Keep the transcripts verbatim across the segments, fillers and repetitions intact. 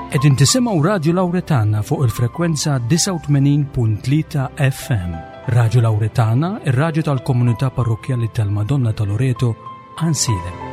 Qegħdin tisimgħu Radio Lauretana fuq il-frekwenza disgħa u tmenin punt tlieta F M. Radio Lauretana, ir-radju tal-komunità parrokjali tal-Madonna ta' Loreto, Għajnsielem.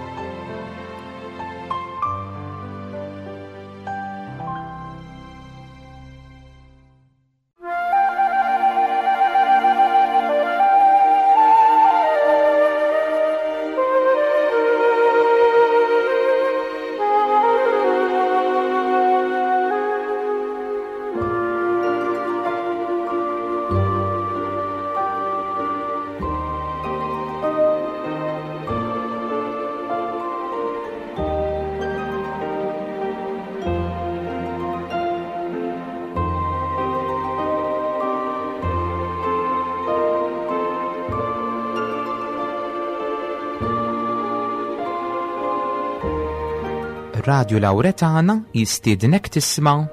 Radio Lauretana jistiednek tisma'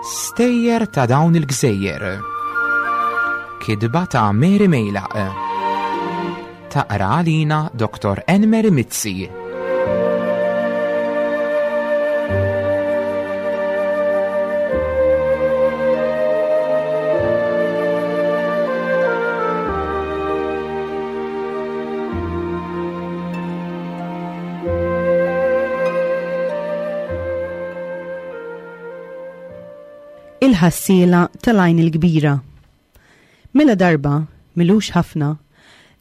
Stejjer ta' dawn il-gżejjer. Kitba ta' Mary Mejlaq. Taqra għalina Doktor Enmeri Mizzi. Il-ħassiela tal-Għajn il-Kbira. Mela darba, m'ilux ħafna,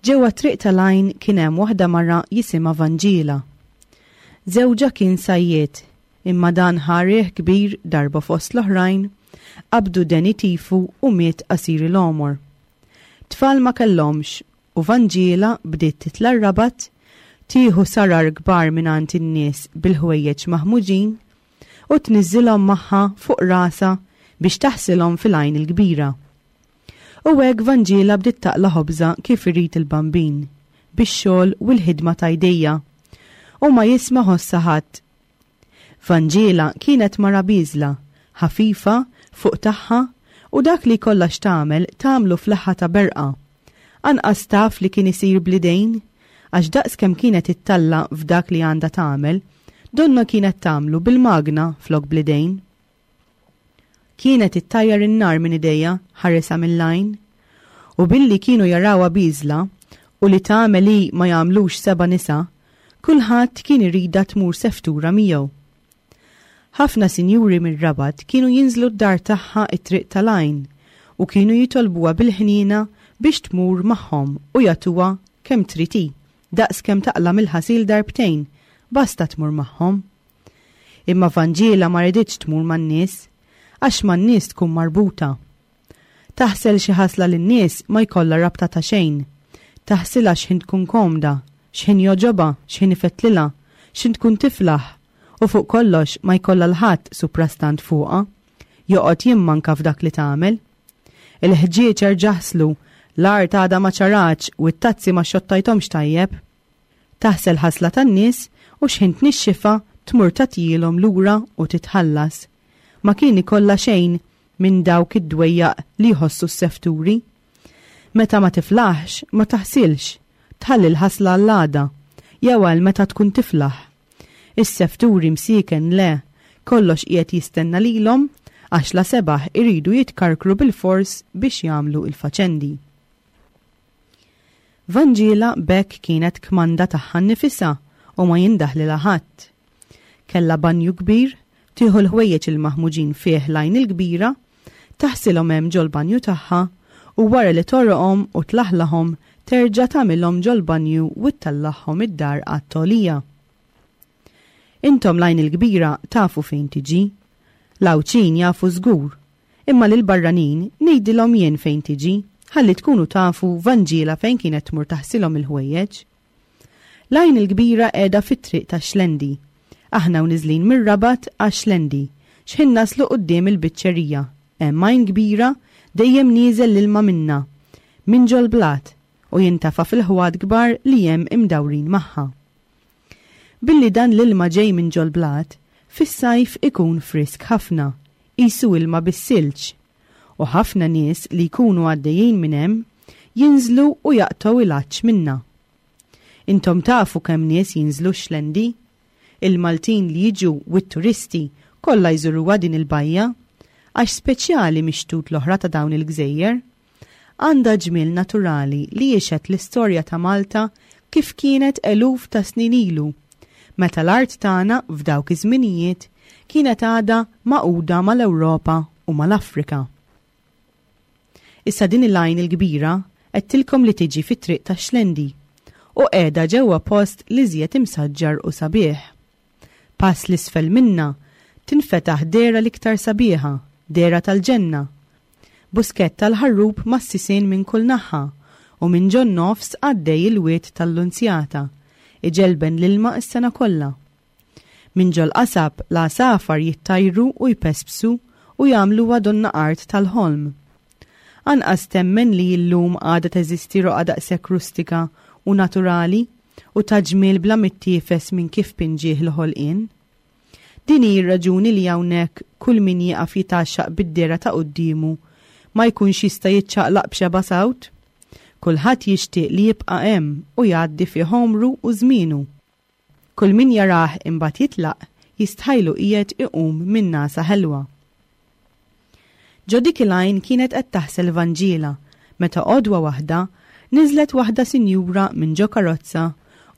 ġewwa triq tal-Għajn kien hemm waħda mara jisimha Vanġiela. Żewġha kien sajjied, imma dan ħa riħ kbir darba fost l-oħrajn, qabdu deni tifu u miet qasir il-għomor. Tfal ma kellhomx u Vanġiela bdiet titla' r-Rabat, tieħu sarar kbar mingħand in-nies bil-ħwejjeġ maħmuġin u tniżżilhom magħha fuq rasha biex taħsilhom fil-Għajn il-Kbira. U hekk Vanġiela bdiet taqla ħobża kif irid il-Bambin, bix-xogħol u l-ħidma ta' jdejja, u ma jisma' ħossha ħadd. Vanġiela kienet mara bieżla, ħafifa, fuq tagħha, u dak li kollha x'tagħmel tagħmlu fl-aħħa ta' berqa. Anqas taf li kien isir bl-idejn, għax daqs kemm kienet ittalla f'dak li għandha tagħmel, donna kienet tagħmlu bil-magna flok bl-idejn. Kienet ittajjar in-nar minn idejja ħarisa mill-għajn, u billi kienu jarawha bieżla u li tagħmel li ma jagħmlux seba' nisa, kulħadd kien irida tmur seftura miegħu. Ħafna sinjuri mir-Rabat kienu jinżlu d-dar tagħha it-triq tal-Għajn u kienu jitolbuha bil-ħnina biex tmur magħhom u jagħtuha kemm trid hi, daqs kemm taqla mill-ħasil darbtejn, basta tmur magħhom. Imma Vanġiela ma riditx tmur man-nies, għax man-nies tkun marbuta. Taħsel xi ħasla lin-nies ma jkollha rabta ta' xejn. Taħsilha x'ħin tkun komda, x'ħin jogħġobha, x'ħin ifettlilha, x'ħin tkun tiflaħ, u fuq kollox ma jkollha l-ħadd suprastant fuqha, joqgħod jimmanka f'dak li tagħmel. Il-ħġieġ erġa' ħslu, l-art għadha ma ċaratx u t-tazzi ma xottajthomx tajjeb. Taħsel ħasla tan-nies u x'ħin tnixxifa tmur tagħtihom lura u titħallas. Ma kien ikollha xejn minn dawk id-dwejjaq li jħossu s-sefturi. Meta ma tiflaħx, ma taħsilx, tħalli l-ħasla għall-għada, jew għal meta tkun tiflaħ. Is-sefturi msieken le, kollox qiegħed jistenna lilhom għax la sebaħ iridu jitkarkru bil-fors biex jagħmlu il-faċendi. Vanġiela b'hekk kienet kmanda tagħha nnifisha u ma jindaħlilha ħadd. Kella banju kbir, tieħu l-ħwejjeġ il-maħmuġin fih l-Għajn il-Kbira, taħsilhom hemm ġol-banju tagħha u wara li torqhom u tlaħlahom terġa' tagħmilhom ġol-banju u ttellagħhom id-dar għat-togħlija. Intom l-Għajn il-Kbira tafu fejn tiġi. L-Għawdxin jafu żgur, imma lil barranin ngħidilhom jien fejn tiġi, ħalli tkunu tafu Vanġiela fejn kienet tmur taħsilhom il-ħwejjeġ. L-Għajn il-Kbira qiegħda fit-triq ta' Xlendi. Aħna u niżlin mir-Rabat għax-Xlendi, x'ħin naslu quddiem il-biċċerija. Hemm għajn kbira dejjem nieżel l-ilma minna, minn ġol-blat, u jintafa fil-ħwat kbar li hemm imdawrin magħha. Billi dan l-ilma ġej minn ġol-blat, fis-sajf ikun frisk ħafna, qisu ilma bis-silġ, u ħafna nies li jkunu għaddejjin minn hemm jinżlu u jaqtgħu il-għatx minna. Intom tafu kemm nies jinżlu Xlendi? Il-Maltin li jiġu u t-turisti Kollha jżuruha din il-bajja għax speċjali mix-xtut l-oħra ta' dawn il-gżejjer. Għandha ġmiel naturali li jixhed l-istorja ta' Malta kif kienet eluf ta' snin ilu, meta l-art tagħna f'dawk iż-żminijiet kienet għadha magħquda mal-Ewropa u mal-Afrika. Issa din il-għajn il-kbira għedtilkom li tiġi fit-triq tax-Xlendi u qiegħda ġewwa post l-iżjed imsaġġar u sabiħ. Pass l-isfel minna tinfetaħ dehra l-iktar sabiħa, dehra tal-ġenna. Buskett tal-ħarrub mas-sisien minn kull naħa u minn ġon nofs għaddej il-wied tal-Lunzjata, iġelben l-ilma s-sena kollha. Minn ġol qasab l-għasafar jittajru u jpespsu u jagħmluha donna art tal-ħolm. Anqas temmen li llum għadha teżisti roqgħa daqshekk rustika u naturali u ta' ġmiel bla mittiefes minn kif pinġih il-ħolqien. Din hi r-raġuni li hawnhekk kull min jieqaf jitgħaxxaq bid-dehra ta' quddiemu ma jkunx jista' jiċċaqlaq b'xeba' sawt. Kulħadd jixtieq li jibqa' hemm u jgħaddi fih għomru u żmienu. Kull min jarah imbagħad jitlaq jistħajlu qiegħed iqum minn nagħsa ħelwa. Ġo dik il-għajn kienet qed taħsel Vanġiela meta għodwa waħda niżlet waħda sinjura minn ġo karozza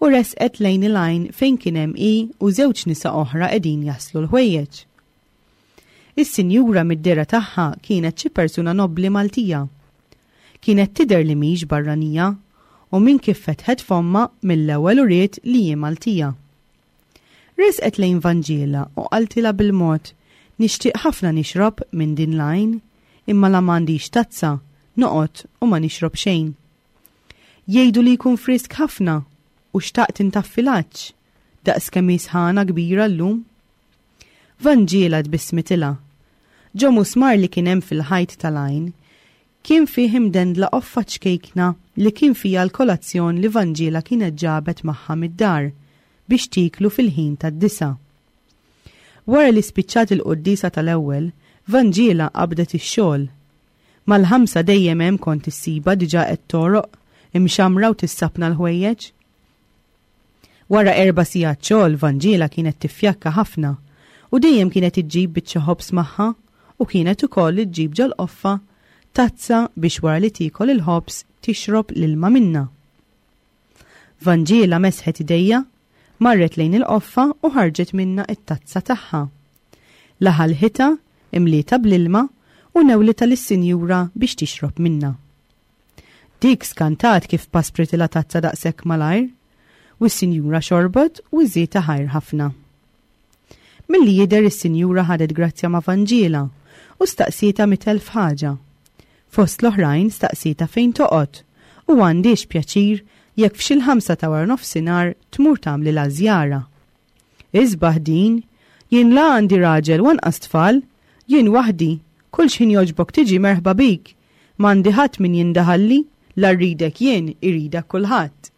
u resqet lejn il-għajn fejn kien hemm hi u żewġ nisa oħra qegħdin jaħslu l-ħwejjeġ. Is-sinjura mid-dehra tagħha kienet xi persuna nobbli Maltija. Kienet tidher li mhix barranija u minn kif fetħet fommha mill-ewwel uriet li hi Maltija. Resqet lejn Vanġiela u qaltilha bil-mod, nixtieq ħafna nixrob minn din l-għajn, imma la m'għandix tazza, noqgħod u ma nixrob xejn. Jgħidu li jkun frisk ħafna u xtaqt intaffi l-għatx, daqs kemm hi sħana kbira llum. Vanġiela tbissmitilha. Ġo musmar li kien hemm fil-ħajt tal-għajn, kien fih imdendla qoffa ċkejkna li kien fiha l-kolazzjon li Vanġiela kienet ġabet magħha mid-dar biex tiklu fil-ħin tad-disa. Wara li spiċċat il-quddiesa tal-ewwel, Vanġiela qabdet ix-xogħol. Mal-ħamsa dejjem hemm kont issibha diġà qed toroq, imxamra u tissapna l-ħwejjeġ. Wara erba' sigħat xogħol Vanġiela kienet tiffjakka ħafna u dejjem kienet iġġib biċċa ħobż magħha u kienet ukoll iġġib ġol-qoffa tazza biex wara li tiekol il-ħobż tixrob l-ilma minnha. Vanġiela mesħet idejha, marret lejn il-qoffa u ħarġet minnha it-tazza tagħha. Laħalħitha, imlietha bl-ilma u newlitha lis-sinjura biex tixrob minnha. Dik skantat kif paspritilha tazza daqshekk malajr, u s-sinjura xorbot u żietha ħajr ħafna. Milli jidher is-sinjura ħadet grazzja ma' Vanġiela u staqsietha mitt elf ħaġa. Fost l-oħrajn staqsietha fejn toqgħod u għandhiex pjaċir jekk f'xi l-ħamsa ta' wara nofsinhar tmur tagħmlilha żjara. Isbaħ din, jien la għandi raġel u anqas tfal, jien waħdi, kull x'ħin jogħġbok tiġi merħba bik, m'għandi ħadd min jindaħalli, la rridek jien, iridek kulħadd.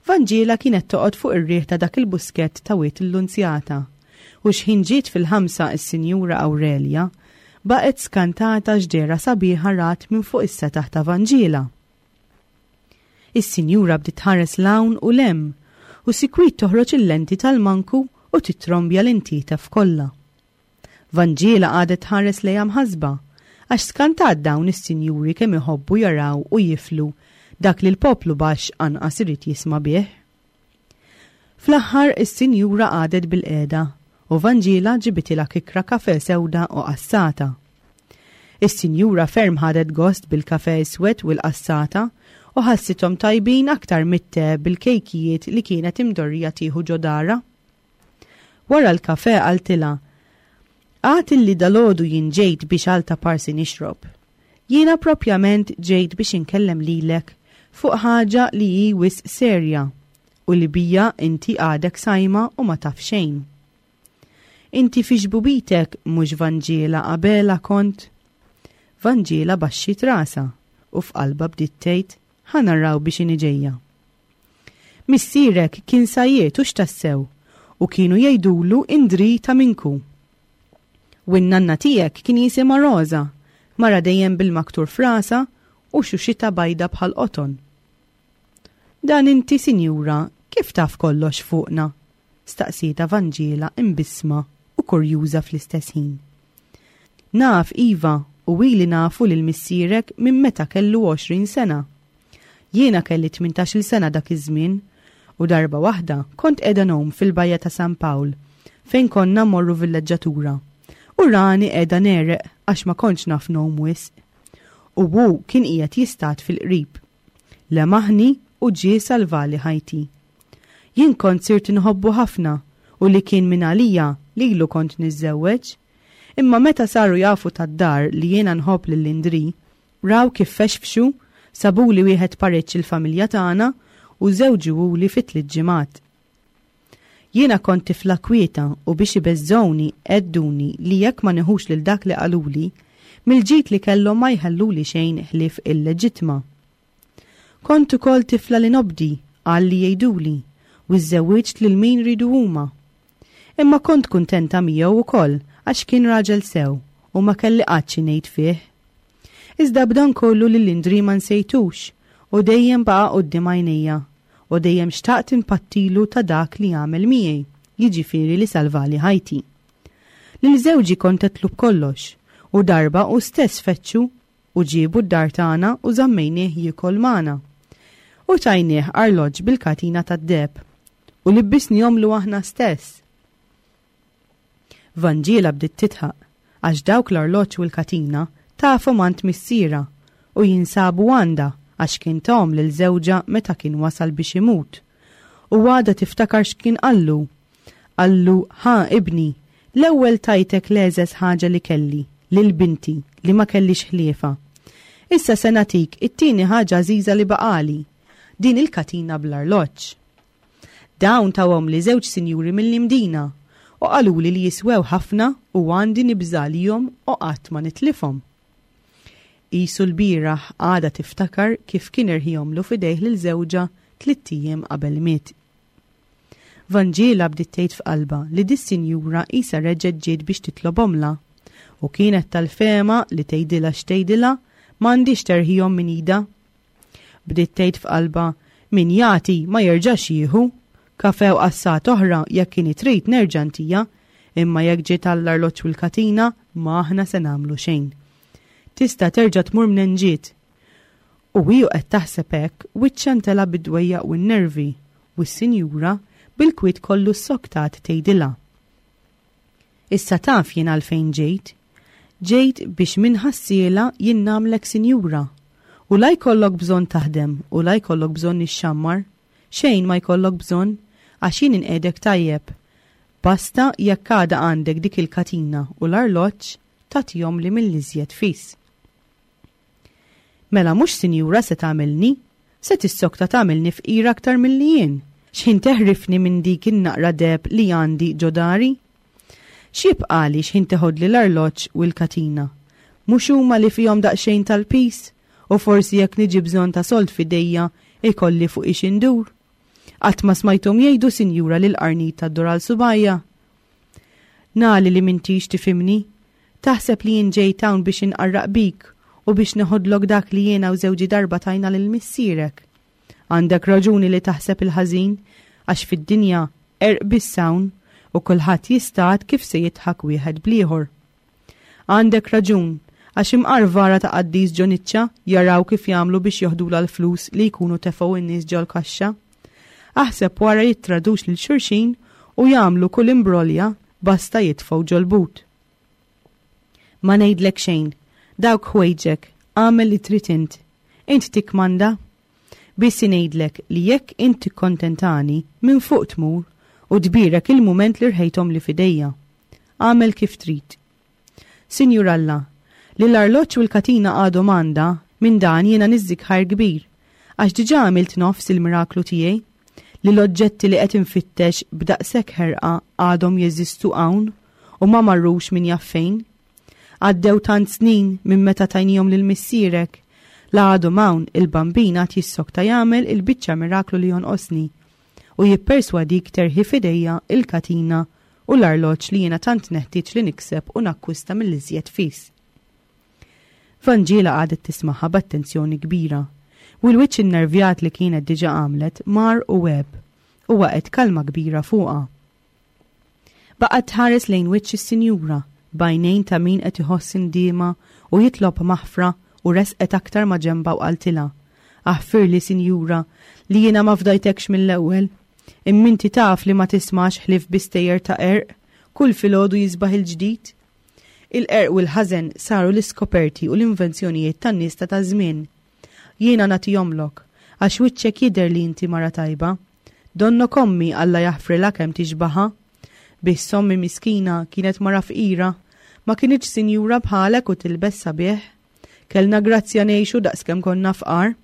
Vanġiela kienet toqgħod fuq ir-riħ ta' dak il-buskett ta' Wied il-Lunzjata u x'ħin ġiet fil-ħamsa is-Sinjura Aurelia baqgħet skantata x'dehra sabiħa rat minn fuq is-setaħ ta' Vanġiela. Is-sinjura bdiet tħares 'l hawn u 'l hemm u sikwit toħroġ il-lenti tal-manku u titrombja l-intietef kollha. Vanġiela qagħdet tħares lejha mħassba għax skantat dawn is-sinjuri kemm iħobbu jaraw u jiflu dak li l-poplu baxx anqas irid jisma' bih. Fl-aħħar is-sinjura qagħdet bil-qiegħda u Vanġiela ġibitilha kikra kafe sewda u qassata. Is-sinjura ferm ħadet gost bil-kafe iswed u l-qassata u ħassithom tajbin aktar mit-te bil-kejkijiet li kienet imdorrija tieħu ġo darha. Wara l-kafe qaltilha, Għad illi dalgħodu jien ġejt biex għal ta' parsi nixrob. Jiena propjament ġejt biex inkellem lilek fuq ħaġa li hi wisq serja u li bija inti għadek sajma u ma taf xejn. Inti fi xbubitek mhux Vanġiela Abela kont? Vanġiela baxxiet rasha u f'qalbha bdiet tgħid ħa naraw biex inhi ġejja. Missierek kien sajjied hux tassew u kienu jgħidulu Indri ta' Minku. U n-nanna tiegħek kien jisimha Rosa, mara dejjem bil-maktur f'rasha u xuxita bajda bħal qoton. Dan inti, sinjura, kif taf kollox fuqna? Staqsietha Vanġiela imbissma u kurjuża fl-istess ħin. Naf, iva, u ili nafu lil missierek minn meta kellu għoxrin sena. Jiena kelli tmintax-il sena dak iż-żmien u darba waħda kont qiegħda ngħum fil-bajja ta' San Pawl fejn konna mmorru villeġġatura. U rani qiegħda negħreq għax ma kontx naf ngħum wisq. U hu kien qiegħed jistad fil-qrib. Lemaħni u ġie salvali ħajti. Jien kont sirt inħobbu ħafna u li kien minn għalija lilu kont niżżewweġ. Imma meta saru jafu tad-dar li jiena nħobb lil Indri, raw kif fexfxu, sabuli wieħed pareċ il-familja tagħna u żewġuhuli fi tliet ġimgħat. Jiena kont tifla kwieta u biex ibeżżgħuni għedduni li jekk ma neħux lil dak li qaluli, mill-ġid li kellhom ma jħalluli xejn ħlief il-leġitma. Kont ukoll tifla li nobdi għal li jgħiduli u żżewwiġt lil min ridu huma. Imma kont kuntenta miegħu wkoll għax kien raġel sew u ma kelli qatt xi ngħid fih. Iżda b'dan kollu lil Indri ma nsejtux u dejjem baqa' quddiem għajnejja u dejjem xtaqt impattilu ta' dak li għamel miegħi, jiġifieri li salvali ħajti. Lil żewġi kont għedtlu b'kollox u darba u stess fettxu u ġiebu d-dar tagħna u żammejnieh jiekol magħna. U tajnieh arloġġ bil-katina tad-deheb u libbisnihomlu aħna stess. Vanġiela bdiet titħaq għax dawk l-arloġġ u l-katina tafhom għand missiera u jinsabu għandha għax kien tahom lil żewġha meta kien wasal biex imut. U għadha tiftakar x'kien qallu. Qallu, ħa ibni, l-ewwel tajtek l-eżes ħaġa li kelli, lil binti li ma kellix ħliefa. Issa se nagħtik it-tieni ħaġa għażiża li baqali, din il-katina bl-arloġġ. Dawn tawhom li żewġ sinjuri mill-Imdina u qaluli li jiswew ħafna u għandi nibżalihom u qatt ma nitlifhom. Isu l-bieraħ għadha tiftakar kif kien irħihomlu f'idejh lil żewġha tlitt ijiem qabel miet. Vanġiela bdiet tgħid f'qalbha li dis-sinjura qisha reġgħet ġiet biex titlobhomla u kienet tal-fehma li tgħidilha x'tgħidilha m'għandix terħihom minn idha. Bdiet tgħid f'qalbha min jagħti ma jerġax jieħu, kafe u qassat oħra jekk kien trid nerġa' ntija, imma jekk ġiet għall-arloġġ u l-katina ma aħna se nagħmlu xejn. Tista' terġa' tmur minn ġiet. U hi qed taħseb hekk wiċċha ntela' bid-dwejjaq u n-nervi u s-sinjura bil-kwiet kollu ssoktat tgħidilha. Issa taf jien għalfejn ġejt. Ġejt biex minn ħassiela jien nagħmlek sinjura. U la jkollok bżonn taħdem u la jkollok bżonn ixxammar, xejn ma jkollok bżonn għax jien inqiegħdek tajjeb. Basta jekk għadha għandek dik il-katina u l-arloġġ tagħtihom li mill-iżjed fis. Mela mhux sinjura se tagħmilni, se tissokta tagħmilni fqira aktar milli jien. X'ħin teħrifni minn dik in-naqra deheb li għandi ġo dari? X'jibqali x'ħin teħodli l-arloġġ u l-katina? Mhux huma li fihom daqsxejn tal-pis u forsi jekk niġi bżonn ta' sold f'idejja ikolli fuq ix indur. Qatt ma smajthom jgħidu sinjura lil qarnit tad-dur għal subajja. Nali li m'intix tifhimni, taħseb li jien ġejt hawn biex inqarraq bik u biex neħodlok dak li jiena u żewġi darba tajna lil missierek. Għandek raġuni li taħseb il-ħażin għax fid-dinja erq biss hawn u kulħadd jistad kif se jidħak wieħed bl-ieħor. Għandek raġun għax imqar vara ta' qaddis ġo niċċa jaraw kif jagħmlu biex joħdula l-flus li jkunu tefgħu n-nies ġol-kaxxa. Aħseb wara jittradux lil xulxin u jagħmlu kull imbrolja basta jitfgħu ġol-but. Ma ngħidlek xejn, dawk ħwejġek, għamel li trid int. Int tikkmanda? Biss ngħidlek li jekk int tikkontentani minn fuq tmur u tbierek il-mument li rħejthom li fidejja. Għamel kif trid. Sinjur Alla, li l-arloġġ u l-katina għadhom għandha, minn dan jiena niżżik ħajr kbir, għax diġà għamilt nofs il-miraklu tiegħi, li l-oġġetti li qed infittex b'daqshekk ħerqa għadhom jeżistu hawn u ma marrux min jaf fejn. Għaddew tant snin minn meta tajnihom lil missierek, la għadhom hawn il-bambin għad jissokta jagħmel il-biċċa miraklu li jonqosni u jipperswadik terħi f'idejja il-katina u l-arloġġ li jiena tant neħtieġ li nikseb u nakkwista mill-iżjed fis. Vanġiela qagħdet tismaħħa b'attenzjoni kbira u l-wiċċ innervjat li kienet diġà għamlet mar u għeb u waqgħet kalma kbira fuqha. Baqgħet tħares lejn wiċċ is-sinjura b'għajnejn ta' min qed iħoss indiema u jitlob maħfra u resqet aktar ma' ġenbha u qaltilha, Aħfirli, sinjura, li jiena ma fdajtekx mill-ewwel. Imma inti taf li ma tismax ħlief bi stejjer ta' qerq, kull filgħodu jisbaħ il-ġdid. Il-qerq u l-ħażen saru l-iskoperti u l-invenzjonijiet tan-nies ta' taż-żmien. Jiena nagħtihomlok, għax wiċċek jidher li inti mara tajba. Donnok ommi Alla jaħfrilha kemm tixbaha. Biss ommi miskina kienet mara fqira, ma kinitx sinjura bħalek u tilbes sabiħ. Kellna grazzja ngħixu daqskemm konna fqar.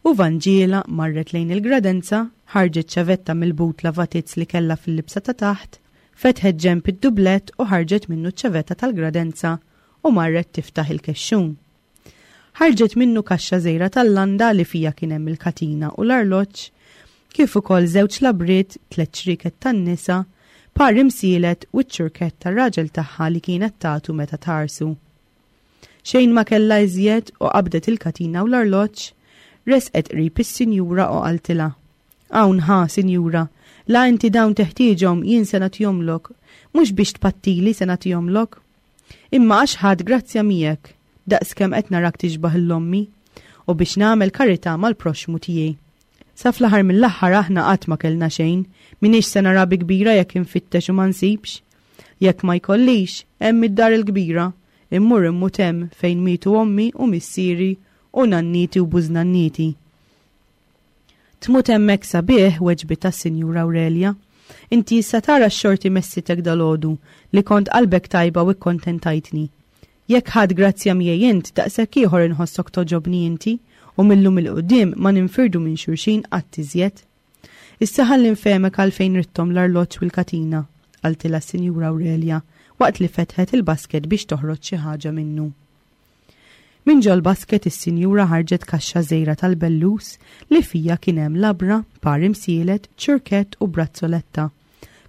U Vanġiela marret lejn il-gradenza, ħarġet ċavetta mill-but lavatizz li kellha fil-libsa ta' taħt, fetħet ġenb id-dublett u ħarġet minnu ċ-ċavetta tal-gradenza u marret tiftaħ il-kexxun. Ħarġet minnu kaxxa żgħira tal-landa li fija kien hemm il-katina u l-arloġġ, kif ukoll żewġ labriet, tliet ċrieket tan-nisa, par imsielet u ċ-ċurkett tar-raġel tagħha li kienet tagħtu meta tħarsu. Xejn ma kellha iżjed u qabdet il-katina u l-arloġġ, resqet qrib is-sinjura u qaltilha: Hawn ħa, sinjura, la inti dawn teħtieġhom jien se nagħtihomlok, mhux biex tpattili se nagħtihomlok. Imma għax ħadt grazzja miegħek, daqskemm qed narak tixbah l-ommi, u biex nagħmel karità mal-proxxmu tiegħi. Sa fl-aħħar mill-aħħar aħna qatt ma kellna xejn, m'iniex se nara bi kbira jekk infittex u ma nsibx. Jekk ma jkollix, hemm id-dar il-kbira, immur immut hemm fejn mietu ommi u missieri u nanniti u bużnanniti. Tmut hemmhekk sabiħ, weġbitha s-Sinjura Aurelia. Inti issa tara x-xorti messitek dalgħodu li kont qalbek tajba u kkontentajtni. Jekk ħadt grazzja miegħi int, daqshekk ieħor inħossok toġobni inti u millum il-qudiem ma ninfirdu minn xulxin qatt iżjed. Issa ħalli nfehmek għalfejn ridthom l-arloġġ u l-katina, qaltilha s-Sinjura Aurelia waqt li fetħet il-basket biex toħroġ xi ħaġa minnu. Minn ġol basket is-sinjura ħarġet kaxxa żgħira tal-bellus li fija kien hemm labra, par imsielet, ċurkett u brazzoletta,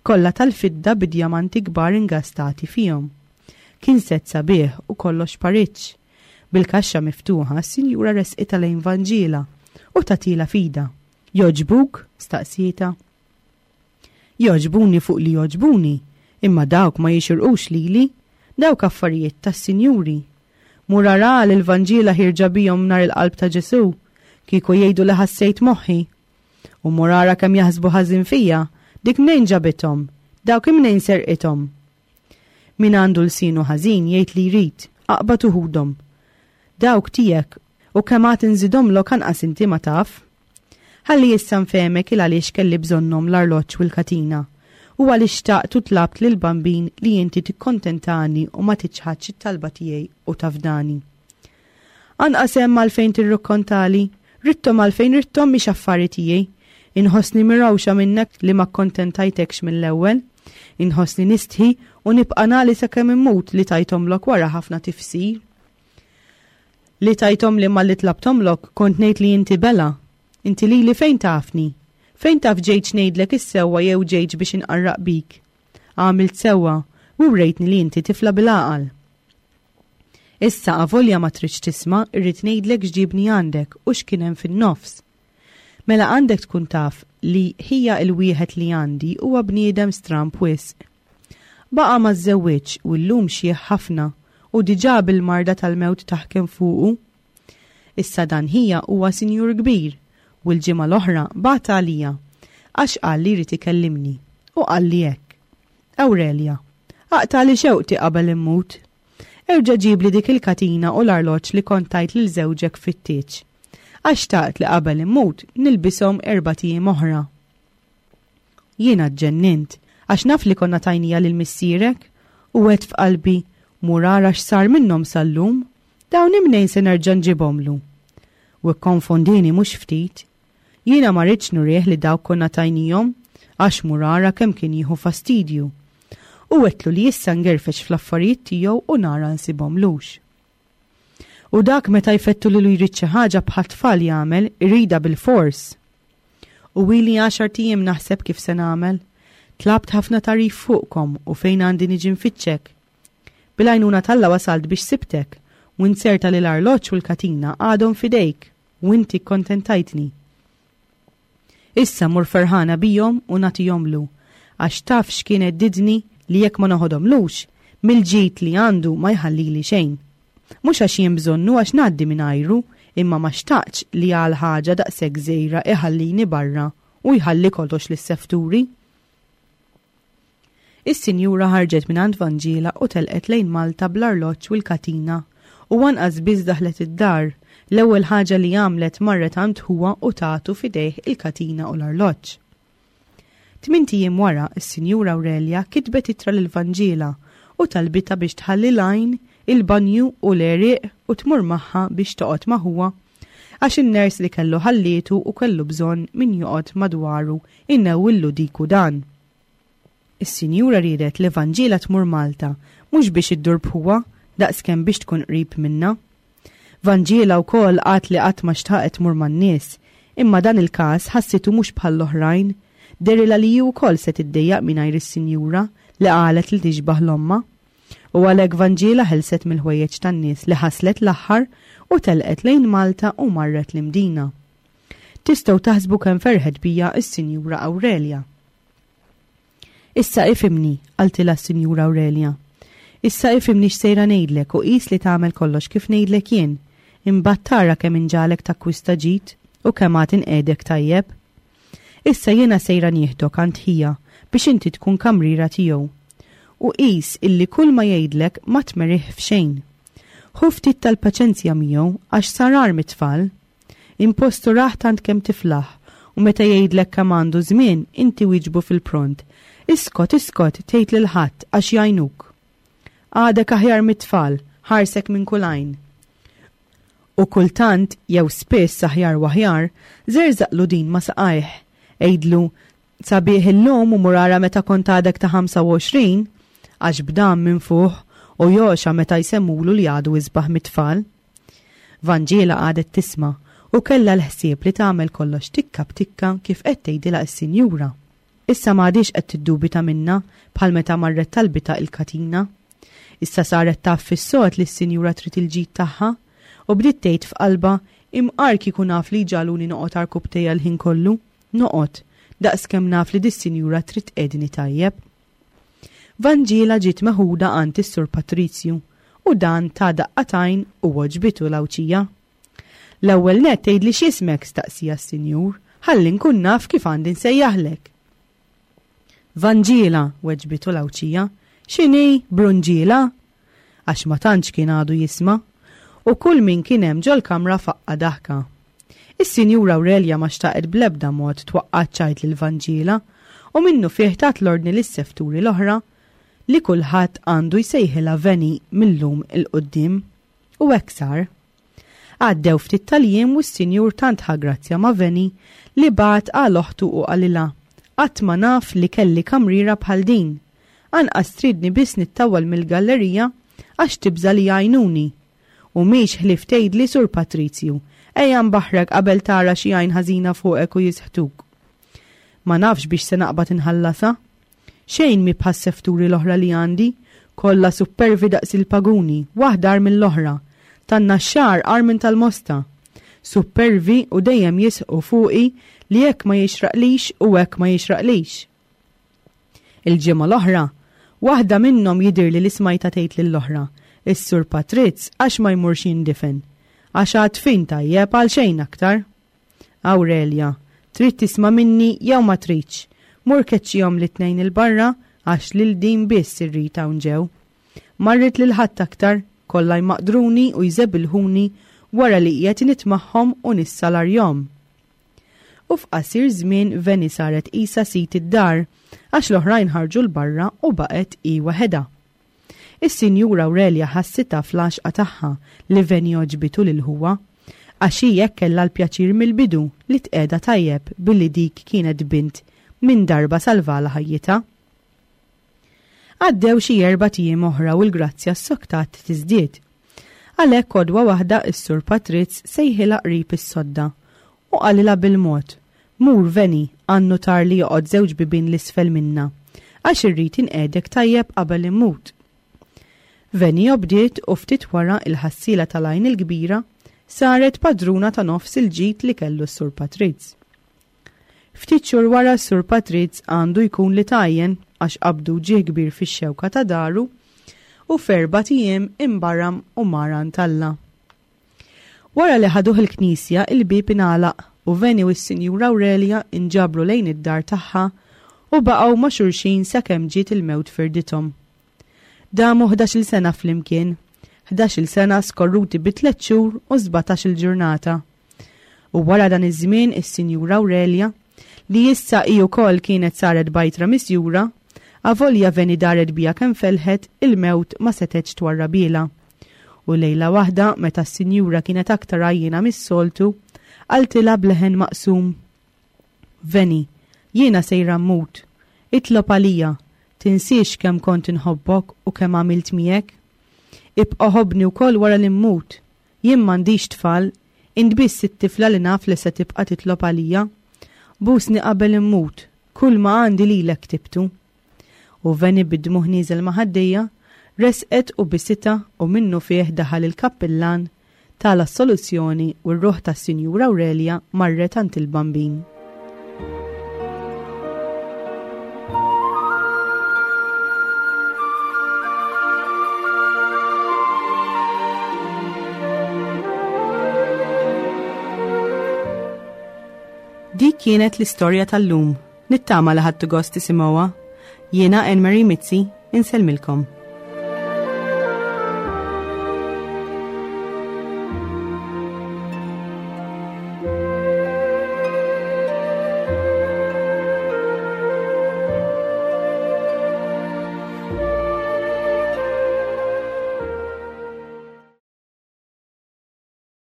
kollha tal-fidda bi djamanti kbar ingastati fihom. Kien set sabiħ u kollox pariġġ. Bil-kaxxa miftuħa, s-sinjura resqitha lejn Vanġiela u tatila fida. Jogħġbuk? Staqsietha. Jogħġbuni fuq li jogħġbuni, imma dawk ma jixirqux lili, dawk affarijiet tas-sinjuri. Mur ara lil Vanġiela ħierġa bihom nhar il-qalb ta' Ġesu, kieku jgħidu li ħassejt moħħi. U mur ara kemm jaħsbu ħażin fija, dik mnejn ġabithom, dawk imnejn serqithom. Min għandu lsienu ħażin jgħid li jrid, aqbad u ħudhom. Dawk tiegħek u kemm għad inżidhomlok anqas inti ma taf. Ħalli issa nfehmek il għaliex kelli bżonnhom l-arloġġ u l-katina, u għaliex xtaqt u tlabt lil Bambin li inti tikkontentani u ma tiċħadx it-talba tiegħi u tafdani. Anqas hemm għalfejn tirrukkontali, ridthom għalfejn ridthom mhix affari tiegħi. Inħossni mirawxa minnek li ma kkontentajtekx mill-ewwel. Inħossni nistħi u nibqa' nagħli sakemm immut li tajthomlok wara ħafna tifsir. Li tajthom li malli tlabthomlok kont ngħid li inti bela. Inti lili fejn tafni? Fejn taf ġejtx ngħidlek is-sewwa jew ġejtx biex inqarraq bik? Għamilt sewwa u wrejtni li inti tifla bil-għaqal. Issa avolja ma tridx tisma', irrid ngħidlek x'ġibni għandek u x'kien hemm fin-nofs. Mela għandek tkun taf li ħija il-wieħed li għandi huwa bniedem stramb wisq. Baqa' ma żżewwiġx u llum xjieħ ħafna u diġà bil-marda tal-mewt taħkem fuqu. Issa dan ħija huwa sinjur kbir u l-ġimgħa l-oħra bagħat għalija għax qal li jrid ikellimni u qal li hekk. Aurelia, aqtagħli xewqti qabel immut. Erġa' ġibli dik il-katina u l-arloġġ li kont tajt lil żewġek fit-tieġ. Għax xtaqt li qabel immut nilbishom erbat ijiem oħra. Jiena ġġennint għax naf li konna tajnija lil missierek u għedt f'qalbi mur ara x'sar minnhom sal-lum, dawn imnejn se nerġa' nġibhomlu. U kkonfondini mhux ftit. Jiena ma rridx nurih li dawk konna tajnihom għax mur ara kemm kien jieħu fastidju. U għedtlu li issa ngerfex fl-affarijiet tiegħu u nara nsibhomlux. U dak meta jfettu lilu jrid xi ħaġa bħal tfal jagħmel, irida bil-fors. U ili għaxart ijiem naħseb kif se nagħmel. Tlabt ħafna tarif fuqkom u fejn għandi niġi nfittxek. Bil-għajnuna t'Alla wasalt biex sibtek, u nserta li l-arloġġ u l-katina għadhom fidejk, u inti kkontentajtni. Issa mur ferħana bijom u nagħtihomlu, Għax taf x'kien heddidni li jekk ma noħodhomlux, mill-ġid li għandu ma jħallili xejn. Mhux għax jien bżonnu għax ngħaddi mingħajru, imma ma xtaqtx li għal ħaġa daqshekk żgħira iħallini barra u jħalli kollox lis-sefturi. Is-sinjura ħarġet mingħand Vanġiela u telqet lejn Malta bl-arloġġ u l-katina u anqas biss daħlet id-dar, l-ewwel ħaġa li għamlet marret għand ħuha u tatu f'idejh il-katina u l-arloġġ. Tmint ijiem wara, is-Sinjura Aurelia kitbet ittra lil Vanġiela u talbitha biex tħalli l-għajn, il-banju u l-għerieq u tmur magħha biex toqgħod ma' ħuha għax in-ners li kellu ħallietu u kellu bżonn min joqgħod madwaru innewwillu dik u dan. Is-sinjura riedet li Vanġiela tmur Malta mhux biex iddur b'ħuha daqskemm biex tkun qrib minnha. Vanġiela wkoll qalt li qatt ma xtaqet tmur man-nies, imma dan il-każ ħassitu mhux bħall-oħrajn, dehrilha li hi wkoll se tiddejjaq mingħajr is-sinjura li qalet li tixbah l-ommha. U għalhekk Vanġiela ħelset mill-ħwejjeġ tan-nies li ħaslet l-aħħar u telqet lejn Malta u marret l-Imdina. Tistgħu taħsbu kemm ferħet bija s-Sinjura Aurelia. Issa ifhimni, qaltilha s-Sinjura Aurelia. Issa ifhimni x'sejra ngħidlek u qis li tagħmel kollox kif ngħidlek jien. Imbagħad tara kemm inġagħlek takkwista ġid u kemm għad inqiegħdek tajjeb. Issa jiena sejra nieħdok għand ħija biex inti tkun kamriera tiegħu. U qis illi kull ma jgħidlek ma tmerih f'xejn. Ħu ftit tal-paċenzja miegħu għax sar agħar mit-tfal. Impostu raħ tant kemm tiflaħ u meta jgħidlek kemm għandu żmien inti wieġbu fil-pront. Iskot, iskot, tgħid lil ħadd għax jgħinuk. Għadek aħjar mit-tfal, ħarsek minn kull għajn. U kultant, jew spiss aħjar u aħjar, żerżaqlu din ma' saqajh. Għidlu, sabiħ illum u mur ara meta kont għadek ta' ħamsa u għoxrin, għax b'dan minn fuq u joxa meta jsemmulu li għadu isbaħ mit-tfal. Vanġiela għadet tisma' u kellha l-ħsieb li tagħmel kollox tikka b'tikka kif qed tgħidilha s-sinjura. Issa m'għadix qed tiddubita minnha bħal meta marret talbita il-katina. Issa saret taf fis-sod li s-sinjura trid il-ġid tagħha u bdiet tgħid f'qalbha imqar kieku naf li ġaluni noqgħod għarkupptejja l-ħin kollu, noqgħod daqskemm naf li dis-sinjura trid tqegħdni tajjeb. Vanġiela ġiet meħuda għand is-Sur Patrizju u dan ta' daqqatajn u għoġbitu l-Għawdxija. L-ewwel nett tgħidli x'ismek, staqsija s-sinjur, ħalli nkun naf kif għandi nsejjaħlek. Vanġiela, weġbitu l-Għawdxija, x'inhi Brunġiela? Għax ma tantx kien għadu jisma', u kull min kien hemm ġol-kamra faqqa daħka. Is-Sinjura Aurelia ma xtaqet bl-ebda mod twaqqa' ċajt lil Vanġiela u minnu fih tat l-ordni lis-sefturi l-oħra li kulħadd għandu jsejħilha Veni mill-lum il-qudiem. U hekk sar. Għaddew ftit tal-jiem u s-sinjur tant ħa grazzja ma' Veni li bagħat għal oħtu u qalilha, qatt ma naf li kelli kamriera bħal din. Anqas tridni biss nittawwal mill-gallerija għax tibża' li jgħajnuni. U mhix ħlief tgħidli Sur Patrizju, ejja nbaħrek qabel tara xi għajn ħażina fuqek u jisħtuk. Ma nafx biex se naqbad inħallasha. Xejn mi bħas-sefturi l-oħra li għandi, kollha supervi daqs il-paguni, waħda agħar mill-oħra, tan-naxxar agħar minn tal-mosta. Supervi u dejjem jisħqu fuqi li hekk ma jixraqlix u hekk ma jixraqlix. Il-ġimgħa l-oħra, waħda minnhom jidhirli li smajta tgħid lill-oħra, is-Sur Patrizz għax ma jmurx jindifen, għax għad fin tajjeb għal xejn aktar. Aurelia, trid tisma' minni jew ma tridx, mur keċċihom li tnejn il-barra għax lil din biss irrid hawn ġew. Marrit lil ħadd aktar, kollha jmaqdruni u jżebilħuni wara li qiegħed nitmagħhom u nissalarjhom. U f'qasir żmien Veni saret qisha sit id-dar għax l-oħrajn ħarġu l-barra u baqgħet hi waħedha. Is-Sinjura Aurelia ħassitha fl-għaxqa tagħha li Veni għoġbitu lil ħuha, għax hi hekk kellha l-pjaċir mill-bidu li tqiegħda tajjeb billi dik kienet bint minn darba salvala ħajjitha. Għaddew xi erbat ijiem oħra u l-grazzja s-soktat tiżdied. Għalhekk għodwa waħda s-Sur Patrizz sejħilha qrib is-sodda u qalilha bil-mod, mur Veni għannu tar li joqgħod żewġ bibien l-isfel minna, għax irrid inqiegħdek tajjeb qabel immut. Veni obdiet u ftit wara il-ħassiela tal-għajn il-kbira saret padruna ta' nofs il-ġid li kellu s-Sur Patrizz. Ftit xhur wara s-Sur Patriz għandu jkun li tajjen għax qabdu ġieħ kbir fix-xewka ta' daru u f'erbat ijiem imbaram u mar għand Alla. Wara li ħaduh il-knisja, il-bieb ingħalaq u Veni u s-Sinjura Aurelia inġabru lejn id-dar tagħha u baqgħu ma' xulxin sakemm ġiet il-mewt firdithom. Damu ħdax-il sena flimkien, ħdax-il sena skorruti bi tliet xhur u sbatax-il ġurnata. U wara dan iż-żmien is-Sinjura Aurelia, li issa hi wkoll kienet saret bajtra misjura, avolja Veni daret bija kemm felħet, il-mewt ma setgħetx twarrabilha. U lejla waħda, meta s-sinjura kienet aktar għajjiena mis-soltu, qaltilha b'leħen maqsum: Veni, jiena sejra mmut, itlob għalija, tinsiex kemm kont inħobbok u kemm għamilt miegħek. Ibqa' ħobbni wkoll wara li mmut, jien m'għandix tfal, int biss it-tifla li naf li se tibqa' titlob għalija. Busni qabel immut, kull ma għandi lilek ktibtu. U Veni bid-dmugħ nieżel ma' ħaddejja, resqet u bisita u minnu fih daħal il-kappillan tal-assoluzzjoni u r-ruħ tas-Sinjura Aurelia marret għand il-Bambin. Dik kienet l-istorja tal-lum. Nittama li ħadtu gost tisimgħuha. Jiena Anne Marie Mizzi, insellmilkom.